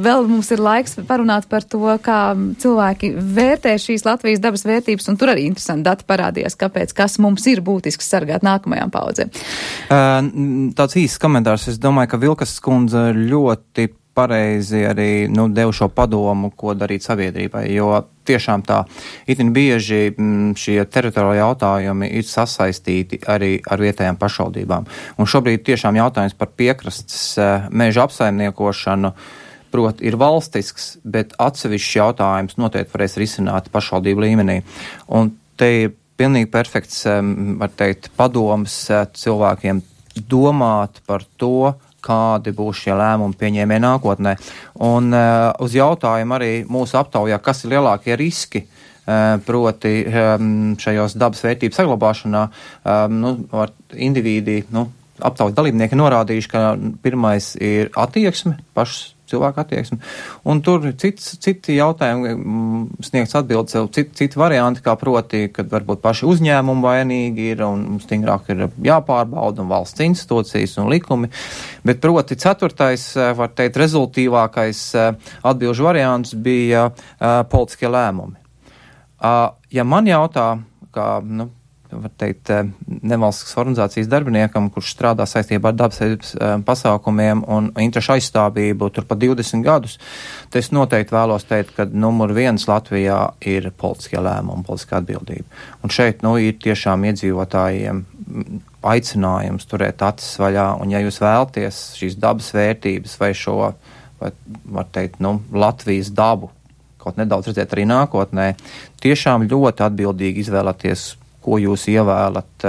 vēl mums ir laiks parunāt par to, kā cilvēki vērtē šīs Latvijas dabas vērtības, un tur arī interesanti dati parādījās, kāpēc, kas mums ir būtisks sargāt nākamajām paudzēm. Tāds īsts komentārs. Es domāju, ka Vilkas kundze ļoti pareizi arī devu šo padomu, ko darīt sabiedrībai, jo tiešām tā itin bieži šie teritoriāli jautājumi ir sasaistīti arī ar vietējām pašvaldībām. Un šobrīd tiešām jautājums par piekrastes meža apsaimniekošanu proti ir valstisks, bet atsevišķs jautājums noteikti varēs risināt pašvaldību līmenī. Un te ir pilnīgi perfekts, var teikt, padoms cilvēkiem domāt par to, kādi būs šie lēmumi pieņēmēji nākotnē. Un uz jautājumu arī mūsu aptaujā, kas ir lielākie riski, proti šajos dabas vērtības saglabāšanā, indivīdi, aptaujas dalībnieki norādījuši, ka pirmais ir attieksme, pašas cilvēku attieksmi. Un tur citi jautājumi sniegs atbildes, citi varianti, kā proti, kad varbūt paši uzņēmumi vainīgi ir un stingrāk ir jāpārbauda un valsts institūcijas un likumi. Bet proti 4. var teikt, rezultīvākais atbilžu variants bija politiskie lēmumi. Ja man jautā, kā, var teikt, nevalstiskas organizācijas darbiniekam, kurš strādā saistībā ar dabas pasākumiem un interešu aizstāvību tur pa 20 gadus, tad es noteikti vēlos teikt, ka numur 1 Latvijā ir politiskie lēmumi, politiskā atbildība. Un šeit, ir tiešām iedzīvotājiem aicinājums turēt acis vaļā, un ja jūs vēlties šīs dabas vērtības vai šo, var teikt, Latvijas dabu kaut nedaudz redzēt arī nākotnē, tiešām ļoti atbildīgi izvēlēties, ko jūs ievēlat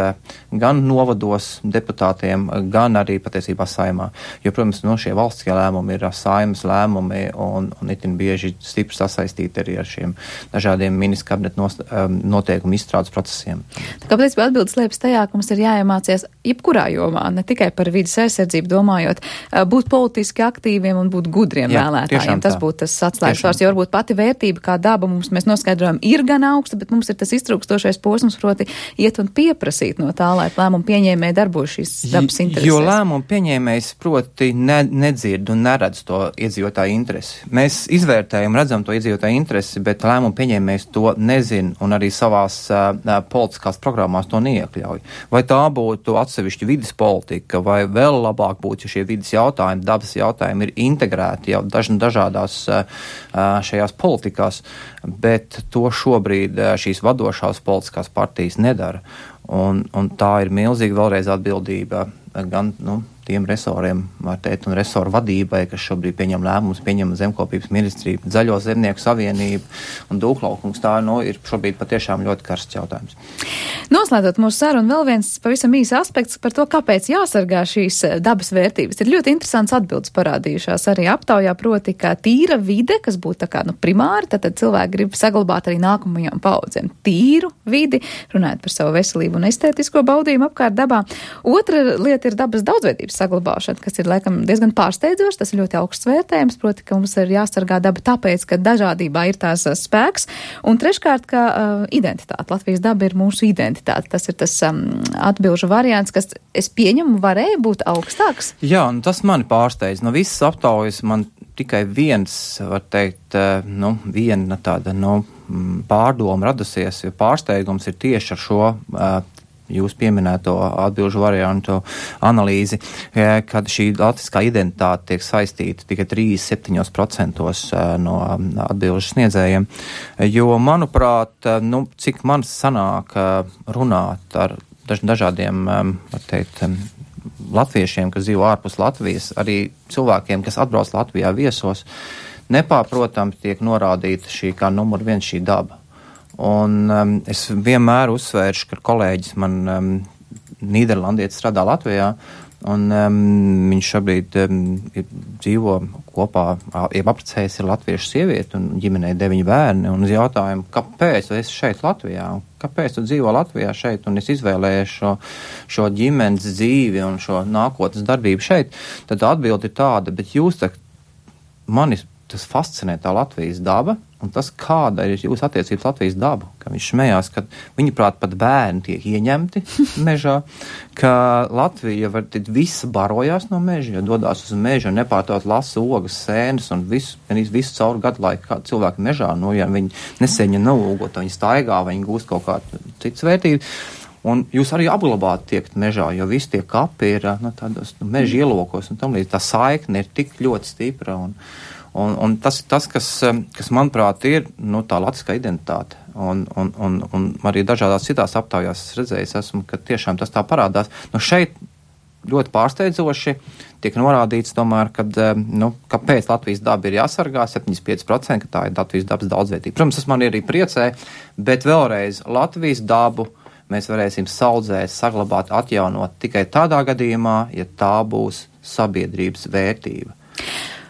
gan novados deputātiem, gan arī patiesībā saimā. Jo, protams, šie valstiskie lēmumi ir saimas lēmumi un itin bieži stipri sasaistīti arī ar šiem dažādiem ministru kabineta noteikumu izstrādes procesiem. Tā kā patiesībā atbildes liepas tajā, ka mums ir jāiemācies jebkurā jomā, ne tikai par vidas aizsardzību domājot, būt politiski aktīviem un būt gudriem vēlētājiem. Tas būtu tas atslēgas vārds, jo varbūt pati vērtība kā daba mēs noskaidrojam ir gan augsta, bet mums ir tas iztrūkstošais posms, proti iet un pieprasīt no tā, lai lēmumu pieņēmēji darbojas šīs dabas interesēs. Jo lēmumu pieņēmējs proti nedzird un neredz to iedzīvotāju interesi. Mēs izvērtējam, redzam to iedzīvotāju interesi, bet lēmumu pieņēmējs to nezin un arī savās politiskās programmās to neiekļauj. Vai tā būtu atsevišķa vides politika, vai vēl labāk būtu, ja šie vides jautājumi, dabas jautājumi ir integrēti jau dažādās šajās politikās, bet to šobrīd šīs vadošās politiskās partijas nedara. Un tā ir milzīga vēlreiz atbildība gan tiem resoriem, var teikt, un resoru vadībai, kas šobrīd pieņem lēmumus, pieņem zemkopības ministriju, Zaļo zemnieku savienību un Dūklaukums. Tā ir šobrīd patiešām ļoti karsts jautājums. Noslēdzot mūsu sarunu, vēl viens pavisam īsts aspekts par to, kāpēc jāsargā šīs dabas vērtības. Ir ļoti interesants atbildes parādījušās arī aptaujā, proti, ka tīra vide, kas būtu tā kā primāri, tad cilvēki grib saglabāt arī nākamajām paudzēm tīru vidi, runājot par savu veselību un estētisko baudījumu apkārt dabā. Otra lieta ir dabas daudzveidības saglabāšana, kas ir laikam diezgan pārsteidzoši, tas ir ļoti augsts vērtējums, proti, ka mums ir jāsargā daba tāpēc, ka dažādībā ir tās spēks, un treškārt, ka identitāte, Latvijas daba ir mūsu identitāte, tas ir tas atbilžu variants, kas, es pieņemu, varēja būt augstāks. Jā, un tas mani pārsteidz, no visas aptaujas man tikai viens, var teikt, viena tāda, pārdoma radusies, jo pārsteigums ir tieši ar šo jūs pieminēto atbilžu variantu analīzi, kad šī latviskā identitāte tiek saistīta tikai 37% no atbilžu sniedzējiem. Jo, manuprāt, cik man sanāk runāt ar dažādiem, var teikt, latviešiem, kas dzīvo ārpus Latvijas, arī cilvēkiem, kas atbrauc Latvijā viesos, nepārprotams tiek norādīta šī kā numur 1 šī daba. Un es vienmēr uzsvēršu, ka kolēģis man Nīderlandietis strādā Latvijā, un viņš šobrīd dzīvo kopā, apprecējies ir latviešu sievieti un ģimenei 9 bērni, un uz jautājumu, kāpēc tu esi šeit Latvijā, kāpēc tu dzīvo Latvijā šeit, un es izvēlējies šo ģimenes dzīvi un šo nākotnes darbību šeit, tad atbildi ir tāda, bet jūs mani tas fascinē tā Latvijas daba, un tas, kāda ir jūsu attiecības Latvijas dabu, ka viņš smējās, ka viņuprāt pat bērni tiek ieņemti mežā, ka Latvija visa barojās no meža, jo dodās uz mežu un nepārtot lasa ogas, sēnes un visu cauru gadu laiku, kā cilvēki mežā, ja viņi neseņa naugot, viņi staigā, viņi gūst kaut kādu citas vērtības. Un jūs arī apglabāt tiekt mežā, jo visi tie kapi ir tādos meža ielokos, un tam līdz tā saikne ir tik ļoti stipra, un tas ir tas, kas manuprāt, ir tā latviskā identitāte. Un arī dažādās citās aptaujās redzējis esmu, ka tiešām tas tā parādās. Šeit ļoti pārsteidzoši tiek norādīts tomēr, kāpēc Latvijas daba ir jāsargā, 75%, ka tā ir Latvijas dabas daudzveidība. Protams, tas man arī priecē, bet vēlreiz Latvijas dabu mēs varēsim saudzēt, saglabāt, atjaunot tikai tādā gadījumā, ja tā būs sabiedrības vērtība.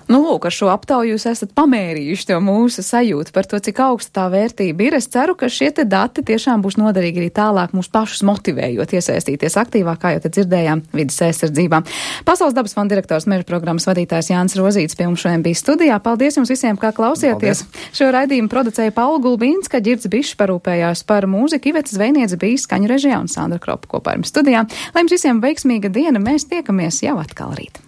Nu, lūk, ar šo aptauju jūs esat pamērījuši to mūsu sajūtu par to, cik augsta tā vērtība ir. Es ceru, ka šie te dati tiešām būs noderīgi arī tālāk mūs pašus motivējot iesaistīties aktīvāk, kā jau te dzirdējām, vidas aizsardzībā. Pasaules dabas fonda direktors meža programmas vadītājs Jānis Rozīts pie mums šodien bija studijā. Paldies jums visiem, kā klausieties. Paldies. Šo raidījumu producēja Paula Gulbīnska, Ģirds Bišs parūpējās par mūziku, Iveta Zvejniece bija skaņu režijā un Sandra Kropa kopā ar jums studijā. Lai jums visiem veiksmīga diena, mēs tiekamies jau atkal rīt.